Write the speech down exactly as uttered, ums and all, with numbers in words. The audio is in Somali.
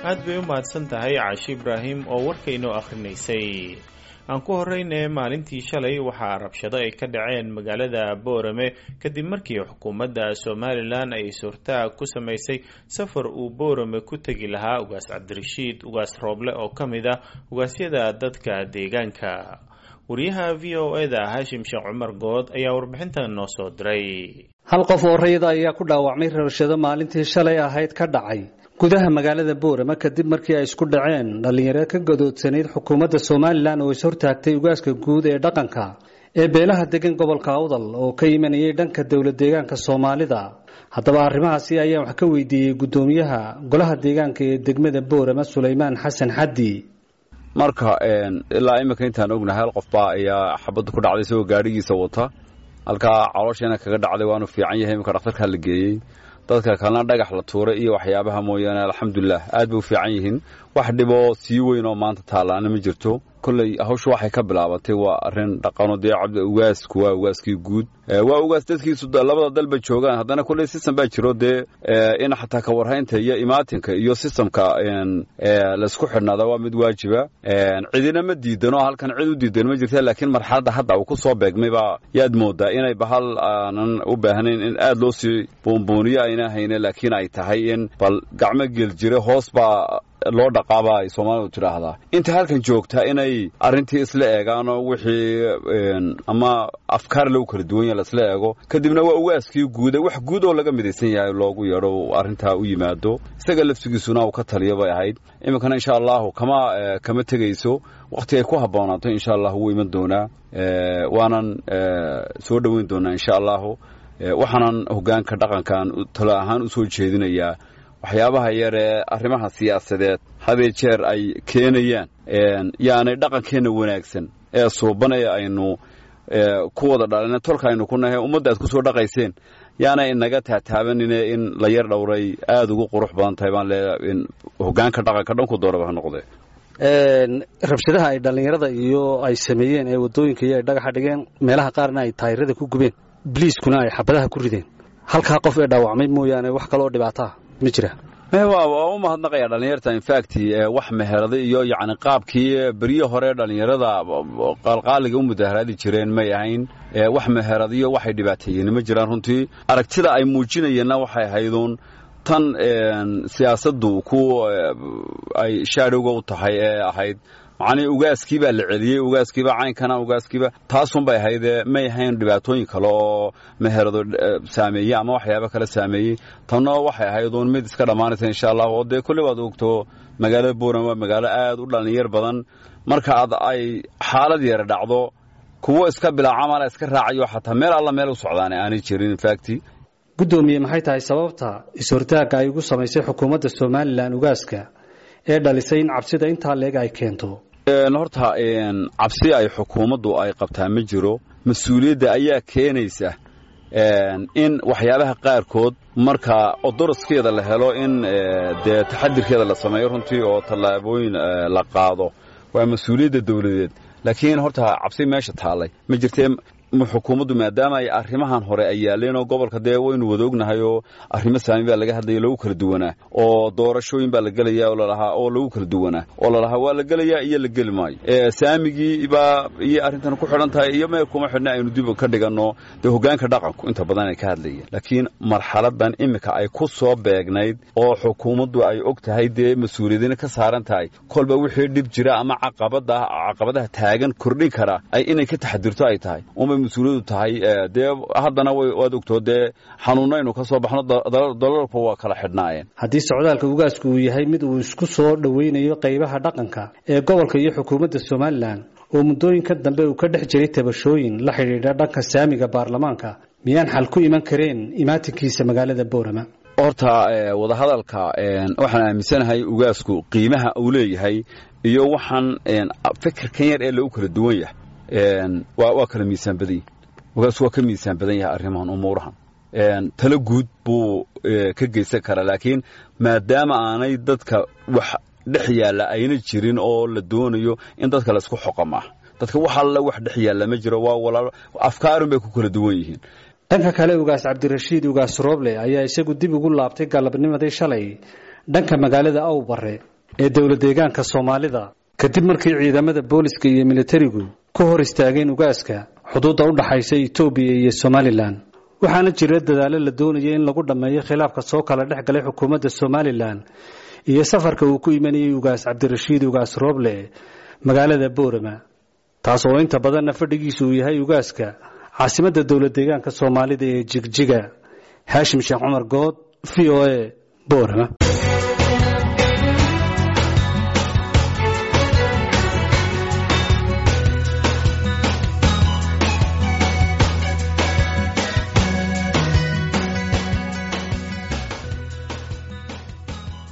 Aad bay u mahadsan tahay Caashi Ibraahim oo warka inoo akhrinaysay. Aan ku horeyne, maalintii shalay waxaa rabshado ay ka dhaceen magaalada Boorame kadib markii xukuumadda Somalilan ay is-hortaag ku samaysay safar uu Boorame ku tegi lahaa Ugaas Cabdirashiid Ugaas Rooble oo ka mid ah ugaasyada dadka deegaanka. Wariyaha V O E da Haashim Sheekh Cumar Good ayaa warbixintan noo soo diray. Hal qof oo rayida ayaa ku dhaawacmay rabshado maalintii shalay ahayd ka dhacay gudaha magaalada Boorama, kadib markii ay isku dhaceen dhallinyaro ka gadoodsanayd xukuumadda Somalilan oo is-hortaagtay ugaaska guud ee dhaqanka ee beelaha degan gobolka Awdal oo ka imanayay dhanka dowlad deegaanka Soomaalida. Haddaba arrimahaasi ayaan wax ka weydiiyey guddoomiyaha golaha deegaanka ee degmada Boorama, Sulaymaan Xasan Xaddi. Marka ilaa iminka intaan ognahay, hal qof baa ayaa xabadda ku dhacday isagoo gaadhigiisa wata, halkaa calooshiina kaga dhacday. Waanu fiican yahay, iminka dhakhtarkaa la geeyey. Dadka kalena dhagax la tuuray iyo waxyaabaha mooyaane, alxamdulilah, aad bay u fiican yihiin. Wax dhiboo sii weyn oo maanta taallaana ma jirto. Kolley hawshu waxay ka bilaabatay waa arrin dhaqano. Dee cabdi ugaasku waa ugaaskii guud, waa ugaas dadkiisu labada dalba joogaan. Haddana kolley system baa jiro, dee in xataa ka warhaynta iyo imaatinka iyo systemka laysku xidhnaada waa mid waajiba. Cidina ma diidano, halkan cid u diidan ma jirta, laakiin marxaladda hadda uu ku soo beegmay baa yaad moodaa inay bahal aanan u baahnayn in aad loo sii buunbuuniyo ayna hayne, laakiin ay tahay in bal gacmo gel jira hoos baa loo dhaqaaba ay Soomaalidu tidhaahdaa. Inta halkan joogta inay arrintii isla eegaanoo wixii ama afkaar lagu kala duwan yahay laisla eego, kadibna waa ugaaskii guuda, wax guud oo laga midaysan yahay loogu yeedho, arrintaa u yimaado, isaga laftigiisuna uu ka taliyo bay ahayd. Iminkana insha Allahu kama kama tegayso, wakhti ay ku habboonaato insha Allah wuu iman doonaa, waanan soo dhoweyn doonaa insha Allahu. Waxaanan hoggaanka dhaqankan talo ahaan u soo jeedinayaa, waxyaabaha yar ee arrimaha siyaasadeed hadee jeer ay keenayaan yaanay dhaqankeenna wanaagsan ee suuban ee aynu ku wada dhalina, tolka aynu ku nahay, ummadda aad ku soo dhaqayseen, yaanay inaga taataabanine in la yar dhowray aada ugu qurux badan tahay baan leeyahay in hoggaanka dhaqanka dhanku dooraba ha noqdee. Rabshadaha ay dhallinyarada iyo ay sameeyeen ee waddooyinka iyo ay dhagaxa dhigeen, meelaha qaarna ay taayirada ku gubeen, biliiskuna ay xabadaha ku rideen, halkaa qof ee dhaawacmay mooyaane wax kaloo dhibaataa ma jira? Waa u mahadnaqaya dhallinyarta. In fact, wax meherada iyo yacni qaabkii beryo hore dhallinyarada qaalqaaliga u mudaharaadi jireen may ahayn. Wax meheradiyo waxay dhibaateeyeen ma jiraan. Runtii aragtida ay muujinayeenna waxay ahayduun tan siyaasaddu ku ay shaadhowga u tahay ee ahayd macnii ugaaskii baa la celiyey, ugaaskiiba caynkana, ugaaskiiba taasun bay ahaydee, may ahayn dhibaatooyin kale oo meherado saameeyey ama waxyaabo kale saameeyey. Tanna waxay ahayd uun mid iska dhammaanaysa insha Allah. Oo dee kolley waad ogto, magaalada Buuran waa magaalo aad u dhalinyar badan. Marka aad ay xaalad yara dhacdo, kuwo iska bilaa camala iska raacayo, xataa meel alla meel u socdaan aanay jirin in fact. Guddoomiye, maxay tahay sababta is-hortaagga ay ugu samaysay xukuumadda Somalilan ugaaska ee dhalisay in cabsida intaa leeg ay keento? Horta cabsi ay xukuumaddu ay qabtaa ma jiro. Mas-uuliyadda ayaa keenaysa in waxyaabaha qaarkood marka odoroskeeda la helo in dee taxadirkeeda la sameeyo runtii oo tallaabooyin la qaado. Waa mas-uuliyadda dawladeed, laakiin horta cabsi meesha taallay ma jirtee. Xukuumaddu maadaama ay arrimahan hore ay yaaleen oo gobolka dee waynu wada ognahay oo arrimo saami baa laga hadlaya lagu kala duwanaa, oo doorashooyin baa la gelaya oo lalahaa oo lagu kala duwanaa oo lalahaa waa la gelayaa iyo la geli maayo, saamigii baa iyo arrintan ku xidhan tahay iyo meel kuma xidhna, aynu dib ka dhiganno. Dee hoggaanka dhaqanku inta badan ay ka hadlayeen, laakiin marxaladan iminka ay ku soo beegnayd oo xukuumaddu ay og tahay, dee mas-uuliyadina ka saaran tahay, kolba wixii dhib jira ama caqabada caqabadaha taagan kordhin kara ay inay ka taxadirto ay tahay unbay mas-uuliyadu tahay. Dee haddana waad ogtoo, dee xanuunaynu ka soo baxno, dalalku waa kala xidhnaayeen. Haddii socdaalka ugaasku uu yahay mid uu isku soo dhoweynayo qaybaha dhaqanka ee gobolka iyo xukuumadda Somalilan oo muddooyinka dambe uu ka dhex jiray tabashooyin la xidhiidha dhanka saamiga baarlamaanka, miyaan xal ku iman kareen imaatinkiisa magaalada Boorama? Horta wadahadalka waxaan aaminsanahay ugaasku qiimaha uu leeyahay iyo waxaan fikirkan yar ee lagu kala duwan yahay waa kala miisaan badan yahay. Ugaasku waa ka miisaan badan yahay arrimahan, umuurahan talo guud buu ka geysan karaa, laakiin maadaama aanay dadka wax dhex yaalla ayna jirin oo la doonayo in dadka laisku xoqa, maaha dadka wax alla wax dhex yaalla ma jiro, waa walaalo, afkaarun bay ku kala duwan yihiin. Dhanka kale, Ugaas Cabdirashiid Ugaas Rooble ayaa isagu dib ugu laabtay galabnimadii shalay dhanka magaalada Awbare. ee dowlad deegaanka Soomaalida, kadib markii ciidamada booliska iyo militarigu ku hor istaageen ugaaska xuduudda u dhaxaysa Itoobiya iyo Somalilan. Waxaana jira dadaalo la doonaya in lagu dhammeeyo khilaafka soo kala dhex galay xukuumadda Somalilan iyo safarka uu ku imanayay Ugaas Cabdirashiid Ugaas Rooble magaalada Boorama, taas oo inta badanna fadhigiisu uu yahay ugaaska caasimadda dowlad deegaanka Soomaalida ee Jigjiga. Haashim Sheekh Cumar Good, V O A, Boorama.